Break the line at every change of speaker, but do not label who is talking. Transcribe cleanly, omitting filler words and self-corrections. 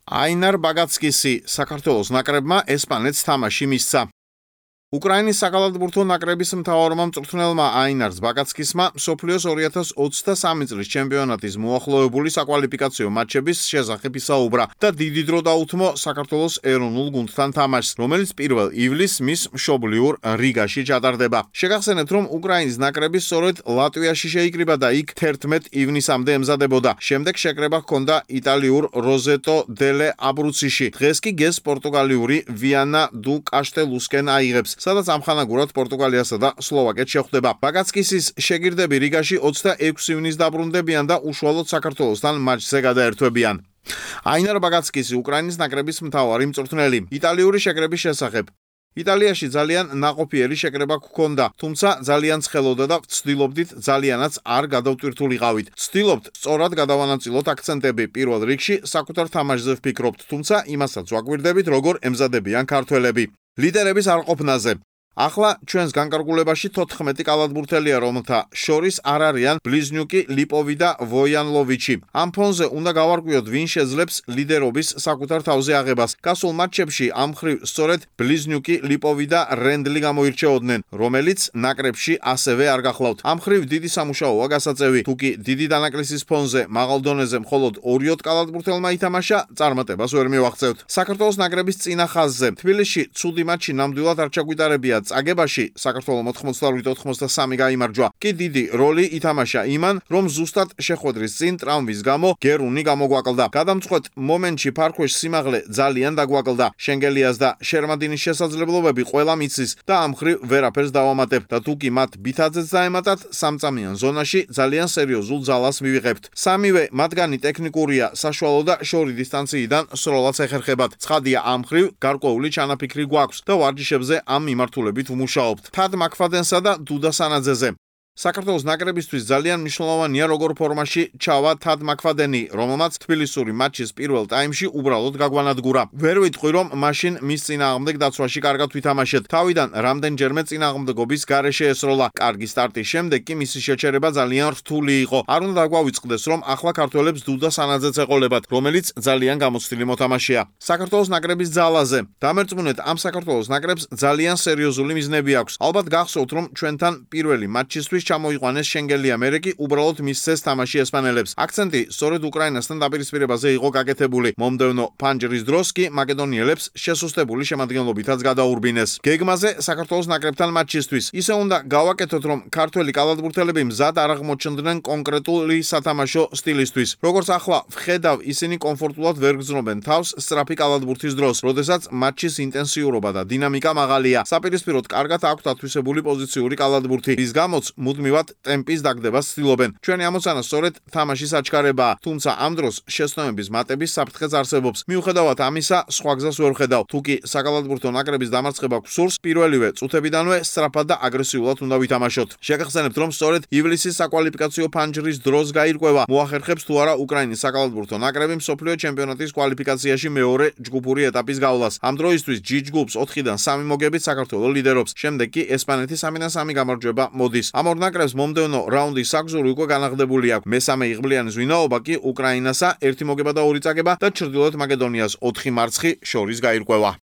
აინარ ბაგაცკისი საქართველოს ნაკრებმა ესპანეთს თამაში მისცა. უკრაინის საკალათბურთო ნაკრების მთავარმა მწვრთნელმა აინარს ბაგაცკისმა მსოფლიოს 2023 წლის ჩემპიონატის მოახლოებული საკვალიფიკაციო მატჩების შესახებ ისაუბრა და დიდი დრო დაუთმო საქართველოს ეროვნულ გუნდთან თამაშს, რომელიც 1 ივლისს მის მშობლიურ რიგაში ჩატარდება. შეგახსენებთ, რომ უკრაინის ნაკრები სწორედ ლატვიაში შეიკრიბა და იქ 11 ივნისამდე ემზადებოდა. შემდეგ შეკრება ჰქონდა იტალიურ როზეტო დელე აბრუციში. დღეს კი გეს პორტუგალიური ვიანა დუ კაშტელუსკენ აიღებს, სადაც ამხანაგურად პორტუგალიასა და სლოვაკეთს შეხვდება. ბაგაცკისის შეგირდები რიგაში 26 ივნისს დაბრუნდებიან და უშუალოდ საქართველოსთან მატჩზე გადაერთვებიან. აინარ ბაგაცკისი უკრაინის ნაკრების მთავარი მწვრთნელი. იტალიური შეკრების შესახებ. იტალიაში ძალიან ნაყოფიერი შეკრება გქონდა, თუმცა ძალიან ცხელოდა და ვცდილობდით ძალიანაც არ გადავტვირთულიყავით. ვცდილობთ სწორად გადავანაწილოთ აქცენტები. პირველ რიგში საკუთარ თამაშზე ვფიქრობთ, თუმცა იმასაც ვაკვირდებით, როგორ ემზადებიან ქართველები. ლიდერების არყოფნაზე. ახლა ჩვენს განკარგულებაში 14 კალათბურთელია, რომელთა შორის არ არიან ბლიზნიუკი, ლიპოვი და ვოიანლოვიჩი. ამ ფონზე უნდა გავარკვიოთ, ვინ შეძლებს ლიდერობის საკუთარ თავზე აღებას. გასულ მატჩებში ამ მხრივ სწორედ ბლიზნიუკი, ლიპოვი და რენდლი გამოირჩეოდნენ, რომელიც ნაკრებში ასევე არ გახლავთ. ამ მხრივ დიდი სამუშაოა გასაწევი. თუკი დიდი დანაკლისის ფონზე მაღალ დონეზე მხოლოდ 2 კალათბურთელმა ითამაშა, წარმატებას ვერ მივაღწევთ. საქართველოს ნაკრების წინა ხაზზე თბილისში ცუდი მატჩი ნამდვილად არ ჩაგვიტარებია. წაგებაში საქართველოს 98-83 გაიმარჯვა. კი დიდი როლი ითამაშა იმან, რომ ზუსტად შეხვედრის წინ ტრავმის გამო გერუნი გამოგვაკლდა. გადამწყვეტ მომენტში ფარქვეშ სიმაღლე ძალიან დაგვაკლდა. შენგელიას და შერმადინის შესაძლებლობები ყველა მიცის და ამ მხრივ ვერაფერს დავამატებ და თუკი მათ ბითაძეც დაემატათ, სამწამიან ზონაში ძალიან სერიოზულ ძალას მივიღებთ. სამივე მათგანი ტექნიკურია, საშუალო და შორი დისტანციიდან სროლაც ეხერხებათ. ცხადია, ამ მხრივ გარკვეული ჩანაფიქრი გვაქვს და ვარჯიშებზე ამ მიმართულებით ვმუშაობთ. თად მაკფადენსა და დუდა სანაძეზე. საქართველოს ნაკრებისთვის ძალიან მნიშვნელოვანია, როგორ ფორმაში ჩავა თად მაკფადენი, რომელმაც თბილისური მატჩის პირველ ტაიმში უბრალოდ გაგვანადგურა. ვერ ვიტყვი, რომ მაშინ მის წინააღმდეგ დაცვაში კარგად ვითამაშეთ. თავიდან რამდენჯერმე წინააღმდეგობის გარეშე ესროლა. კარგი სტარტის შემდეგ კი მისი შეჩერება ძალიან რთული იყო. არ უნდა დაგვავიწყდეს, რომ ახლა ქართველებს დუდა სანაძეც ეყოლებათ, რომელიც ძალიან გამოცდილი მოთამაშეა. საქართველოს ნაკრების ძალაზე. დამერწმუნეთ, ამ საქართველოს ნაკრებს ძალიან სერიოზული მიზნები აქვს. ალბათ გახსოვთ, რომ ჩვენთან პირველი მატჩისთვის ჩამოიყვანეს შენგელია, მერე კი უბრალოდ მისცეს თამაში ესპანელებს. აქცენტი სწორედ უკრაინასთან დაპირისპირებაზე იყო გაკეთებული. მომდევნო ფანჯრის დროს კი მაკედონიელებს შესუსტებული შემადგენლობითაც გადაურბინეს. გეგმაზე საქართველოს ნაკრებთან მატჩისთვის. ისე უნდა გავაკეთოთ, რომ ქართველი კალათბურთელები მზად არ აღმოჩნდნენ კონკრეტული სათამაშო სტილისთვის. როგორც ახლა ვხედავ, ისინი კომფორტულად ვერ გრძნობენ თავს სწრაფი კალათბურთის დროს, როდესაც მატჩის ინტენსიურობა და დინამიკა მაღალია. საპირისპიროდ კარგად აქვთ ათვისებული პოზიციური კალათბურთი, რის გამოც მუდმივად ტემპის დაგდება ცდილობენ. ჩვენი ამოცანა სწორედ თამაშის აჩქარებაა, თუმცა ამ დროს შეცდომების მატების საფრთხეც არსებობს. მიუხედავად ამისა, სხვა გზას ვერ ვხედავ. თუკი საკალათბურთო ნაკრების დამარცხება გსურს, პირველივე წუთებიდანვე სწრაფად და აგრესიულად უნდა ვითამაშოთ. შეგახსენებთ, რომ სწორედ ივლისის საკვალიფიკაციო ფანჯრის დროს გაირკვევა, მოახერხებს თუ არა უკრაინის საკალათბურთო ნაკრები მსოფლიო ჩემპიონატის კვალიფიკაციაში მეორე ჯგუფური ეტაპის გავლას. ამ დროისთვის G ჯგუფს 4-დან 3 მოგებით საქართველოს ლიდერობს. შემდეგ კი ესპანეთი 3-3 გამარჯვება მოდის. ამ ორ ნაკრებს მომდევნო რაუნდის საგზური უკვე განაღდებული აქვს. მესამე იღბლიანის ვინაობა კი უკრაინასა 1 მოგება და 2 წაგება და ჩრდილოეთ მაკედონიას 4 მარცხი შორის გაირკვევა.